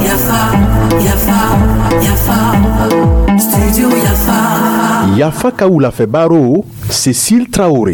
Yafa, Yafa, Yafa, Studio Yafa. Yafa ka wulafɛ baro, Cécile Traoré.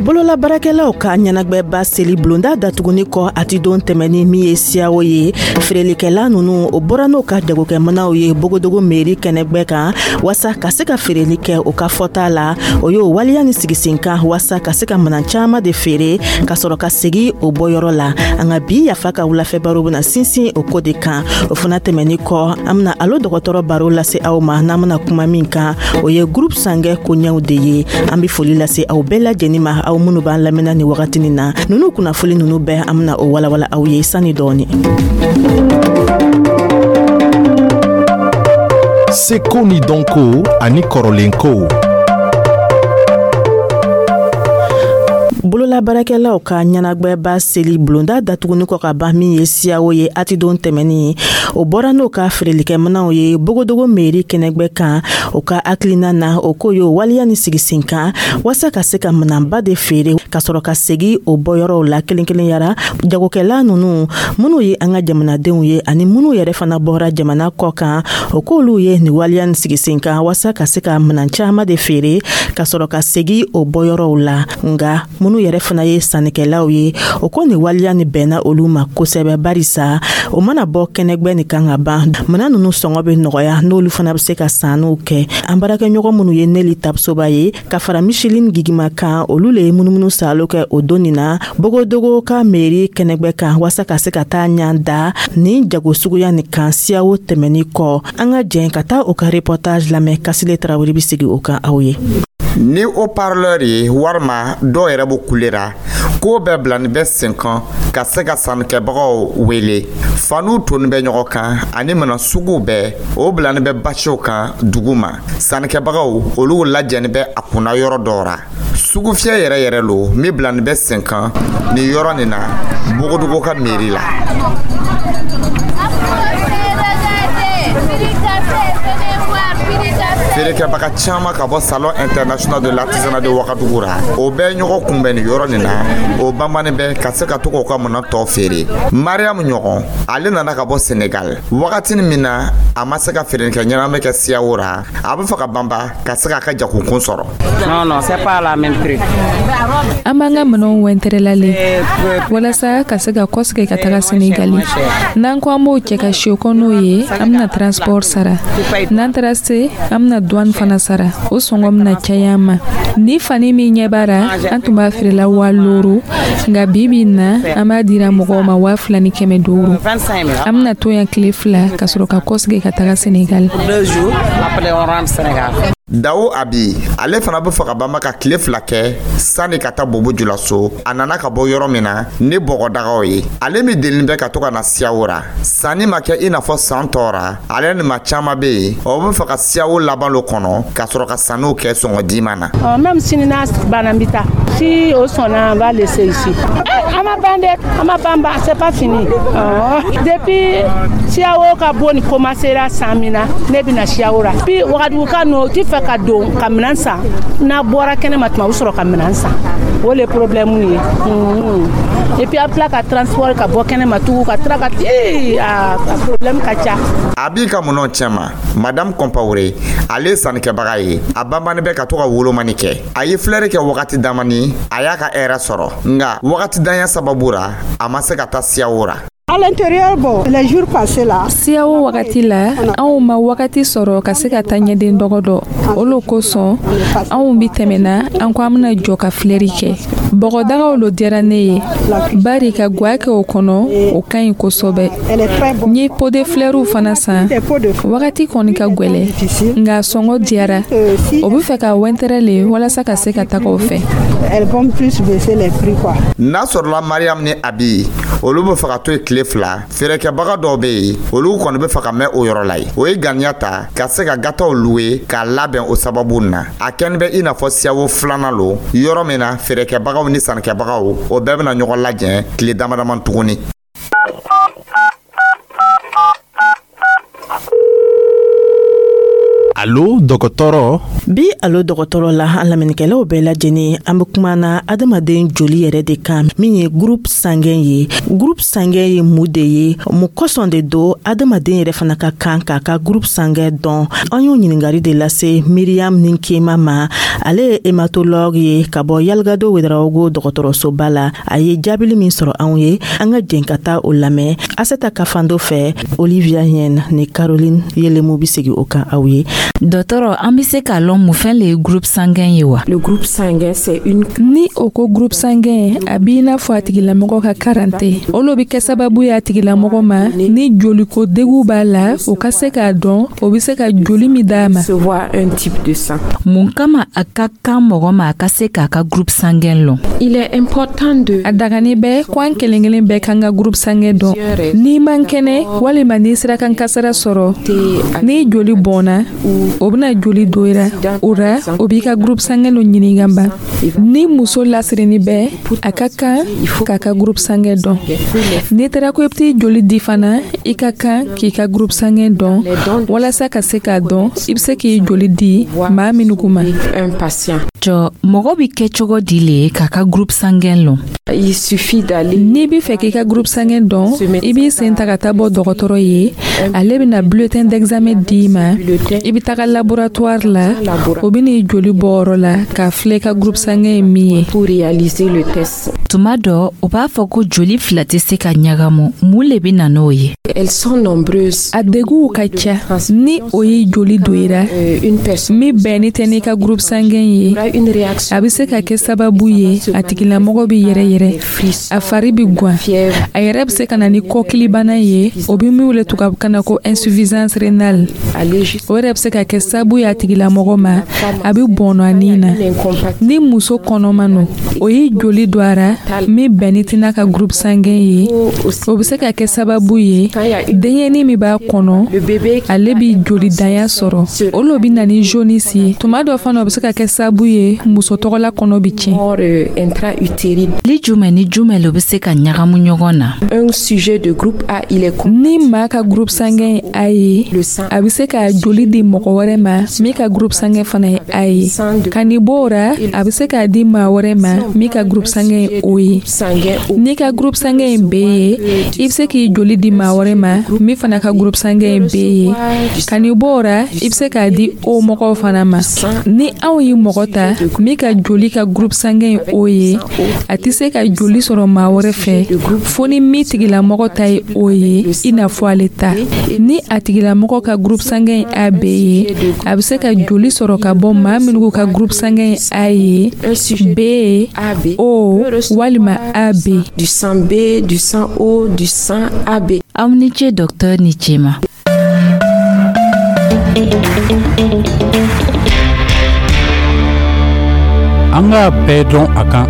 Bolola baarakɛlaw ka ɲɛnagwɛba seli bulonda datuguni kɔ a ti don tɛmɛni min ye Siyawo ye, feerelikɛla nunu o bɔra n'o ka jagokɛmanaw ye Bogodogo meri kɛnɛgbɛ kan waasa ka se ka feereli kɛ. O ka fɔta la, o y'o waleya ni sigi kan waasa ka se ka minan caaman de feere ka sɔrɔ ka segi o bɔyɔrɔ la. An ka bi Yafa ka wulafɛ baro bena sinsin o ko de kan. O fana tɛmɛni kɔ, an bena alo dɔgɔtɔrɔ baro lase aw ma. N'an bena kuma min kan, o ye groupe sanguin koɲɛw de ye. An be foli lase aw bɛɛ lajɛnin ma, aw minnu b'an lamɛnna ni wagatinin na. Nunu kunnafoli nunu bɛɛ, an bena o walawala aw ye sani dɔɔni. Seko ni dɔnko ani kɔrɔlenkow. Bolola baarakɛlaw ka ɲɛnagwɛba seli bulonda datuguni kɔ ka ban min ye Siyawo ye a ti don tɛmɛni, o bɔra n'o ka feerelikɛminɛw ye Bogodogo meri kɛnɛgbɛ kan. O ka hakilina na, o ko y'o waleya ni sigi sen kan waasa ka se ka minanba de feere ka sɔrɔ ka segi o bɔyɔrɔw la kelen kelen yara. Jagokɛla nunu minnu ye an ka jamanadenw ye ani minnu yɛrɛ fana bɔra jamana kɔ kan, o k'olu ye nin waleya ni sigi sen kan waasa ka se ka minan caaman de feere ka sɔrɔ ka segi o bɔyɔrɔw la. Nga minnu yɛrɛ fana ye sannikɛlaw ye, o ko nin waleya ni bɛnna olu ma kosɛbɛ, barisa o mana bɔ kɛnɛgbɛ nin kan ka ban, minan nunu sɔngɔ bɛ nɔgɔya, n'olu fana bɛ se ka sanniw kɛ. An baarakɛɲɔgɔn minnu ye Neli Tapsoba ye ka fara Micheline Gigima kan, olu le ye munumunu saalo kɛ o don nin na Bogodogo ka meri kɛnɛgbɛ kan waasa ka se ka taa ɲan da nin jago suguya nin kan Siyawo tɛmɛni kɔ. An ka jɛn ka taa o ka reportage lamɛn. Kasile Tarawele bɛ sigi o kan aw ye. Ni haut-parleur ye walima dɔw yɛrɛ b'o kulera k'o bɛɛ bilani bɛ sen kan ka se ka sannikɛbagaw wele. Faniw toni bɛ ɲɔgɔn kan ani minɛn suguw bɛɛ, o bilani bɛ basiw kan dugu ma. Sannikɛbagaw olu lajɛni bɛ a kunna yɔrɔ dɔw ra. Sugufiyɛ yɛrɛ yɛrɛ lo min bilani bɛ sen kan nin yɔrɔ nin na Bogodogo ka mairie la. Feerekɛbaga caman ka bɔ Salon international de l'artisanat de Wagadugu ra, o bɛɛ ɲɔgɔn kunbɛn nin yɔrɔ nin na. O banbannen bɛ ka se ka to k'o ka minɛn tɔ feere. Mariam ɲɔgɔn, ale nana ka bɔ Senegal. Wagatinin min na a ma se ka feerelikɛ ɲɛnama kɛ Siyawo ra, a bɛ fɛ ka banba ka se k'a ka jagokun sɔrɔ. Non, non, c'est pas la même prix. An b'an ka minɛnw wɛntɛrɛla le walasa ka se ka kɔsegin ka taga Senegali. N'an ko an b'o cɛ ka si kɔ n'o ye, an bɛna transport sara. N'an taara se, an bɛna douane fana sara. O sɔngɔ bɛna caya an ma. Ni fani min ɲɛ b'a ra, an tun b'a feerela 5000, nka bi bi in na, an b'a dira mɔgɔw ma 2500. An bɛna to yan tile 2 ka sɔrɔ ka kɔsegin ka taga Senegali. Dawo Abi, ale fana bɛ fɛ ka banba ka tile 2 kɛ sani ka taa Bobo Julaso. A nana ka bɔ yɔrɔ min na ni bɔgɔdagaw ye. Ale min delini bɛ ka to ka na Siyawo ra, sanni ma kɛ i n'a fɔ san tɔ ra. Ale ni maa caman bɛ yen, o bɛ fɛ ka Siyawo laban lo kɔnɔ ka sɔrɔ ka sanniw kɛ sɔngɔ diman na. Même sini n'a banna, n bɛ taa. Si o sɔnna, on va laisser ici. An ma ban dɛ, an ma ban ban, c'est pas fini. Depuis Siyawo ka bon ni commencera san min na, ne bɛna Siyawo ra. Puis Wagadugu ka nɔ, o ti fɛ ka don ka minɛn san. N'a bɔra kɛnɛma tuma, u bɛ sɔrɔ ka minɛn san. O le problème ye. Et puis a bɛ tila ka transport ka bɔ kɛnɛma tugun ka tila ka a problème ka ca. A b'i ka minɛnw cɛma. Madame Compaoré, ale ye sannikɛbaga ye. A banbannen bɛ ka to ka wolomani kɛ. A ye filɛri kɛ wagati damani, a y'a ka hɛrɛ sɔrɔ, nka wagati danya sababu ra, a ma se ka taa Siyawo ra. À l'intérieur, bon, les jours passés là. Siyawo wagati la, anw ma wagati sɔrɔ ka se ka taa ɲɛden dɔgɔ dɔ. O lo kosɔn anw bi tɛmɛna, an ko an bena jɔ ka filɛri kɛ. Bɔgɔdagaw lo diyara ne ye, bari ka gwa kɛ o kɔnɔ, o ka ɲi kosɛbɛ. N ye pot de fleurs fana san. Wagati kɔni ka gwɛlɛ, nka sɔngɔ diyara. O be fɛ ka wɛntɛrɛ le walasa ka se ka taga o fɛ. N'a sɔrɔla Mariam ni Abi, olu be fɛ ka to yen tile 2. Feerekɛbaga dɔw bɛ yen, olu kɔni bɛ fɛ ka mɛn o yɔrɔ la yen. O ye ganiya ta ka se ka gataw luwe k'a labɛn. O sababu na, a kɛni bɛ i n'a fɔ Siyawo filanan lo, yɔrɔ min na feerekɛbagaw ni sannikɛbagaw, o bɛɛ bɛna ɲɔgɔn lajɛ tile dama dama tuguni. Alo dɔgɔtɔrɔ. Bi Alo dɔgɔtɔrɔ la, an lamɛnnikɛlaw bɛɛ lajɛlen, an be kuma na adamaden joli yɛrɛ de kan, min ye groupe sanguin ye. Groupe sanguin ye mun de ye? Mun kosɔn de don adamaden yɛrɛ fana ka kan k'a ka groupe sanguin dɔn? An y'o ɲiningari de lase Miriam Ninkema ma. Ale ye hématologue ye ka bɔ Yalgado Wedarawogo dɔgɔtɔrɔsoba la. A ye jaabili min sɔrɔ anw ye, an ka jɛn ka taa o lamɛn Aseta Kafando fɛ. Olivia Hien ni Caroline Yelemu bi segi o kan aw ye. Dɔtɔrɔ, an be se k'a lɔn mun fɛn le ye groupe sanguin ye wa? Le groupe sanguin, c'est une Ni o ko groupe sanguin, a b'i n'a fɔ a tigilamɔgɔ ka karante. O lo be kɛ sababu ye a tigilamɔgɔ ma, ni joliko degu b'a la, o ka se k'a dɔn o be se ka joli min d'a ma. Recevoir un type de sang. Mun kama a ka kan mɔgɔ ma a ka se k'a ka groupe sanguin lɔn? Il est important de A dagani bɛ ko an kelen kelen bɛɛ kan ka groupe sanguin dɔn. N'i man kɛnɛ walima n'i sera kan kasara sɔrɔ, n'i joli bɔnna, o bena joli do i ra. O ra, o b'i ka groupe sanguin lo ɲininka ban. Ni muso lasirini bɛ, a ka kan k'a ka groupe sanguin dɔn. N'i taara ko i bɛ t'i joli di fana, i ka kan k'i ka groupe sanguin dɔn walasa ka se k'a dɔn i bɛ se k'i joli di maa minnu ma. Un patient. Jɔ, mɔgɔ bi kɛ cogo di le k'a ka groupe sanguin lɔn? Il suffit d'aller N'i b'i fɛ k'i ka groupe sanguin dɔn, i b'i sen ta ka taa bɔ dɔgɔtɔrɔ ye. Ale bɛna bulletin d'examen d'i ma. I bɛ taga laboratoire la, o bɛ n'i joli bɔ yɔrɔ la k'a filɛ i ka groupe sanguin ye min ye. Pour réaliser le test. Tuma dɔ, o b'a fɔ ko joli fila tɛ se ka ɲagamu. Mun le be na n'o ye? Elles sont nombreuses. A deguw ka ca. Ni o ye joli don i ra Une personne min bɛnni tɛ n'i ka groupe sanguin ye, aura une réaction. a bɛ se ka kɛ sababu ye a tigilamɔgɔ bɛ yɛrɛ yɛrɛ, a fari bɛ gwan, a yɛrɛ bɛ se ka na ni kɔkilibana ye, o bɛ min wele tubabukan na ko insuffisance rénale. Aller jusqu'à O yɛrɛ bɛ se ka kɛ sababu ye a tigilamɔgɔ ma, a bɛ bɔnɔ a nin na. Ni muso kɔnɔma no, o ye joli don a ra min bɛnni tɛ n'a ka groupe sanguin ye, o bɛ se ka kɛ sababu ye denyɛni min b'a kɔnɔ, le bébé ale bi jolidanya sɔrɔ. O lo bɛ na ni jaunisse ye. Tuma dɔ fana, o bɛ se ka kɛ sababu ye muso tɔgɔla kɔnɔ bɛ tiɲɛ. Mort intra-utérine. Li jumɛn ni jumɛn le be se ka ɲagamu ɲɔgɔn na? Un sujet de groupe A, il est Ni maa ka groupe sanguin ye A ye, le sang a bɛ se ka joli di mɔgɔ wɛrɛ ma min ka groupe sanguin fana ye A ye. Ka nin bɔ o ra, a bɛ se k'a di maa wɛrɛ ma min ka groupe sanguin ye O ye. Sanguin O. N'i ka groupe sanguin ye B ye, i bɛ se k'i joli di maa wɛrɛ ma min fana ka groupe sanguin ye B ye. Ka nin bɔ o ra, i bɛ se k'a di O mɔgɔw fana ma. Ni anw ye mɔgɔ ta min ka joli ka groupe sanguin ye O ye, a tɛ se ka joli sɔrɔ maa wɛrɛ fɛ fo ni min tigilamɔgɔ ta ye O ye, i n'a fɔ ale ta. Ni a tigilamɔgɔ ka groupe sanguin ye AB ye, a bɛ se ka joli sɔrɔ ka bɔ maa minnu ka groupe sanguin ye A ye, Un sujet B ye, AB O walima AB. Du sang B, du sang O, du sang AB. Aw ni ce, dɔktɔr, ni ce ma. An k'a bɛɛ dɔn a kan.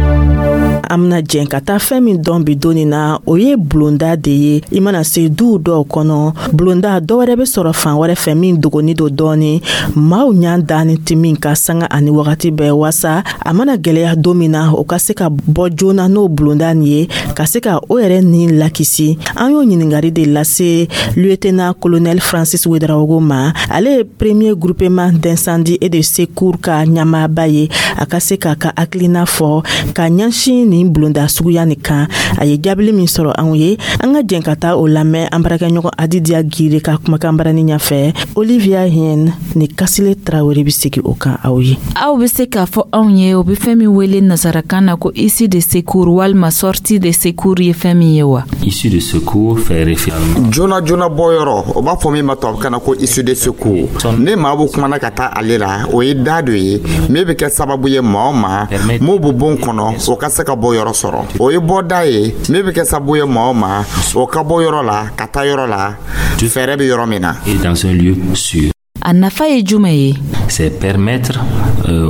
An bena jɛn ka taa fɛn min dɔn bi doni na, o ye bulonda de ye. I mana se duw dɔw kɔnɔ, bulonda dɔ wɛrɛ be sɔrɔ fan wɛrɛ fɛ min dogoni don dɔɔni, maaw ɲan dani tɛ min ka sanga ani wagati bɛɛ, wasa a mana gwɛlɛya don min na, o ka se ka bɔ joona n'o bulonda nin ye, ka se ka o yɛrɛ ni lakisi. An y'o ɲiningari de lase lieutenant colonel Francis Wedarawogo ma. Ale ye premier groupement d'incendie et de secours ka ɲɛmaaba ye. A ka se k'a ka hakilina fɔ ka ɲɛsin nin bulonda suguya nin kan. A ye jaabili min sɔrɔ anw ye, an ka jɛn ka taa o lamɛn an baarakɛɲɔgɔn Adidiya Gire ka kumakan barani ɲɛfɛ. Olivia Hien ni Kasile Tarawele bi segi o kan aw ye. Aw be se k'a fɔ anw ye o be fɛn min wele nasarakan na ko issue de secours walima sortie de secours ye fɛn min ye wa? Issue de secours fait référence. Joona joona bɔyɔrɔ, o b'a fɔ min ma tubabukan na ko issue de secours. Ne maa b'o kumana ka taa ale la, o ye da dɔ ye min bɛ kɛ sababu ye maa o maa mun b'o bon kɔnɔ, o ka se ka bɔ yɔrɔ sɔrɔ. O ye bɔda ye min bɛ kɛ sababu ye maa o maa, o ka bɔ yɔrɔ la ka taa yɔrɔ la fɛɛrɛ bɛ yɔrɔ min na. Et dans un lieu sûr. A nafa ye jumɛn ye? C'est permettre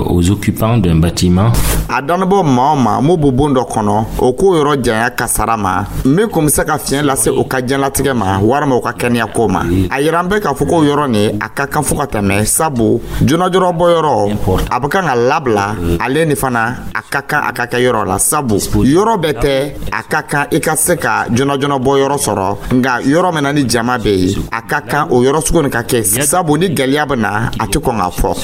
aux occupants d'un bâtiment A dannabɔ maa o maa mun b'o bon dɔ kɔnɔ, o k'o yɔrɔ janya kasara ma min kun bɛ se ka fiɲɛ lase u ka diɲɛlatigɛ ma walima u ka kɛnɛyako ma. A yira an bɛ k'a fɔ k'o yɔrɔ nin, a ka kan fo ka tɛmɛ, sabu joona joona bɔyɔrɔ, a bɛ kan ka labila ale ni fana a ka kan a ka kɛ yɔrɔ la, sabu yɔrɔ bɛɛ tɛ a ka kan i ka se ka joona bɔ yɔrɔ sɔrɔ. Nka yɔrɔ min na ni jama bɛ yen, a ka kan o yɔrɔ sugu nin ka kɛ, sabu ni gɛlɛya bɛ na, a tɛ kɔn ka fɔ.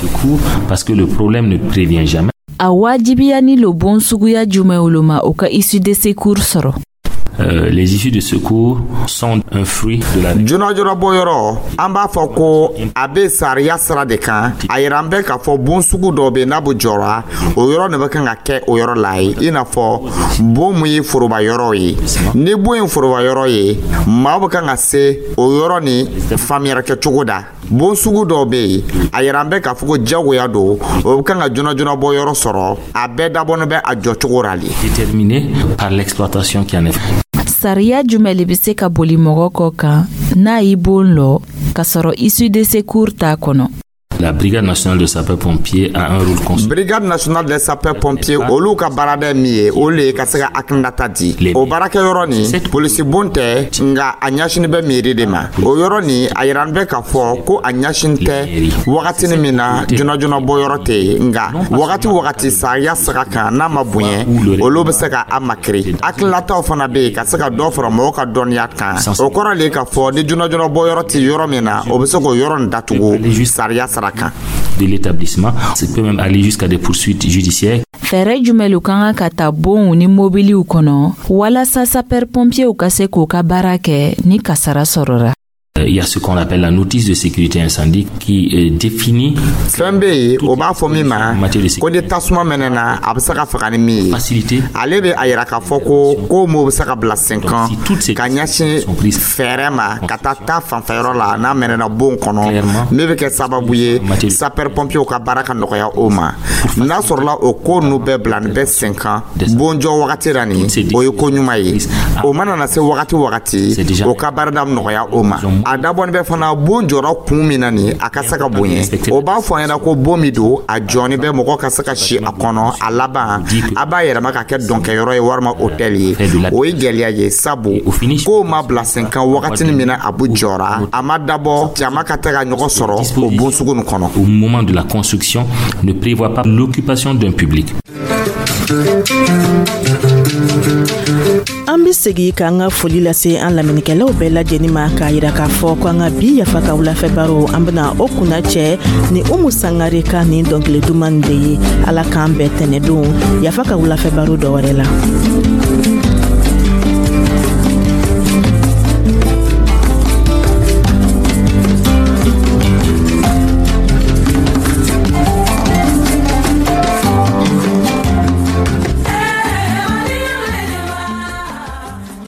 Parce que le problème ne prévient jamais. A wajibiyani lo bon suguya jumɛn olu ma, o ka issue de secours sɔrɔ? Les issues de secours sont un fruit de la Joona joona bɔ yɔrɔ, an b'a fɔ ko a bɛ sariya sira de kan. A yira an bɛ k'a fɔ bon sugu dɔ bɛ yen, n'a bɛ jɔra, o yɔrɔ de bɛ kan ka kɛ o yɔrɔ la ye, i n'a fɔ bon mun ye foroba yɔrɔ ye. Ni bon ye foroba yɔrɔ ye, maa bɛ kan ka se o yɔrɔ ni faamuyali kɛcogo da. Bon sugu dɔw bɛ yen, a yira an bɛ k'a fɔ ko jagoya don, o bɛ kan ka joona joona bɔ yɔrɔ sɔrɔ. A bɛɛ dabɔnen bɛ a jɔcogo la de. Déterminé par l'exploitation qui en est faite. Sariya jumɛn le be se ka boli mɔgɔ kɔ kan n'a y'i bon lɔ k'a sɔrɔ issue de secours t'a kɔnɔ? La Brigade nationale de sapeurs-pompiers a un rôle constructif. Brigade nationale des sapeurs pompiers, olu ka baarada min ye, olu ye ka se ka hakilinata di. O baarakɛyɔrɔ nin, polisi bon tɛ, nka a ɲɛsini bɛ miiri de ma. O yɔrɔ nin, a yira bɛ k'a fɔ ko a ɲɛsin tɛ wagatini min na joona joona bɔ yɔrɔ tɛ yen, nka wagati wagati sariya saga kan n'a ma bonya, olu bɛ se ka a makiri. Hakilinataw fana bɛ yen ka se ka dɔ fara mɔgɔw ka dɔnniya kan. O kɔrɔ le k'a fɔ ni joona joona bɔ yɔrɔ tɛ yɔrɔ min na, o bɛ se k'o yɔrɔ nin datugu sariya sara kan. De l'établissement. Ça peut même aller jusqu'à des poursuites judiciaires. Fɛɛrɛ jumɛn lu ka kan ka ta bonw ni mobiliw kɔnɔ walasa sapeur pompierw ka se k'u ka baara kɛ ni kasara sɔrɔra? Il y a ce qu'on appelle la notice de sécurité incendie qui définit Fɛn bɛ yen, o b'a fɔ min ma ko ni tasuma mɛnɛna, a bɛ se ka faga ni min ye. Ale bɛ a yira k'a fɔ ko m'o bɛ se ka bila sen kan ka ɲɛsin fɛɛrɛ ma ka taa ta fanfɛyɔrɔ la n'a mɛnɛna bon kɔnɔ, min bɛ kɛ sababu ye sapeur pompier ka baara ka nɔgɔya o ma. N'a sɔrɔla o ko ninnu bɛɛ bila nin bɛ sen kan bon jɔ wagati la nin, o ye ko ɲuman ye. O mana na se wagati wagati, o ka baarada nɔgɔya o ma. A dabɔnin bɛ fana bon jɔra kun min na nin, a ka se ka bonya. O b'a fɔ an ɲɛna ko bon min don, a jɔnni bɛ mɔgɔ ka se ka si a kɔnɔ. A laban, a b'a yɛlɛma ka kɛ dɔnkɛyɔrɔ ye walima hôtel ye. O ye gɛlɛya ye, sabu kow ma bila sen kan wagatini min na a bɛ jɔra, a ma dabɔ jama ka tɛ ka ɲɔgɔn sɔrɔ o bon sugu nin kɔnɔ. Au moment de la construction, ne prévoit pas l'occupation d'un public. An be segi k'an ka foli lase an lamɛnnikɛlaw bɛɛ lajɛni ma, k'a yira k'a fɔ ko an ka bi Yafa ka wulafɛ baro, an bena o kunna cɛ ni Umu Sangare ka nin dɔnkili duman de ye. Ala k'an bɛɛ tɛnɛ don Yafa ka wulafɛ baro dɔ wɛrɛ la.